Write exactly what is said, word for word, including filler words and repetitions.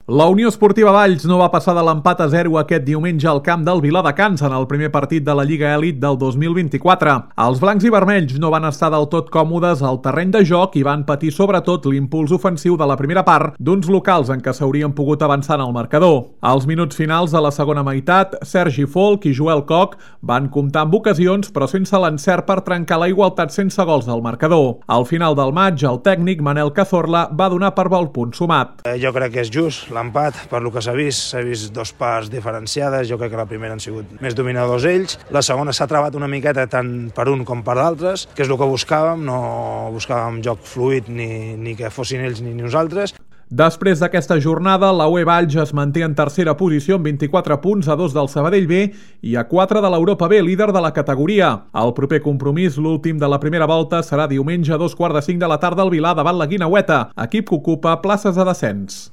La Unió Esportiva Valls no va passar de l'empat a zero aquest diumenge al camp del Viladecans en el primer partit de la Lliga Elit del dos mil vint-i-quatre. Els blancs i vermells no van estar del tot còmodes al terreny de joc i van patir sobretot l'impuls ofensiu de la primera part d'uns locals en què s'haurien pogut avançar en el marcador. Als minuts finals de la segona meitat, Sergi Folk i Joel Koch van comptar amb ocasions però sense l'encert per trencar la igualtat sense gols del marcador. Al final del maig, el tècnic Manel Cazorla va donar per bo el punt sumat. Eh, jo crec que és just l'empat, per lo que s'ha vist, s'ha vist dos parts diferenciades. Jo crec que la primera han sigut més dominadors ells, la segona s'ha trebat una miqueta tant per un com per d'altres, que és el que buscàvem, no buscàvem joc fluid ni, ni que fossin ells ni nosaltres. Després d'aquesta jornada, la U E Valls es manté en tercera posició amb vint-i-quatre punts, a dos del Sabadell B i a quatre de l'Europa B, líder de la categoria. El proper compromís, l'últim de la primera volta, serà diumenge a dos quarts de cinc de la tarda al Vilar davant la Guineueta, equip que ocupa places de descens.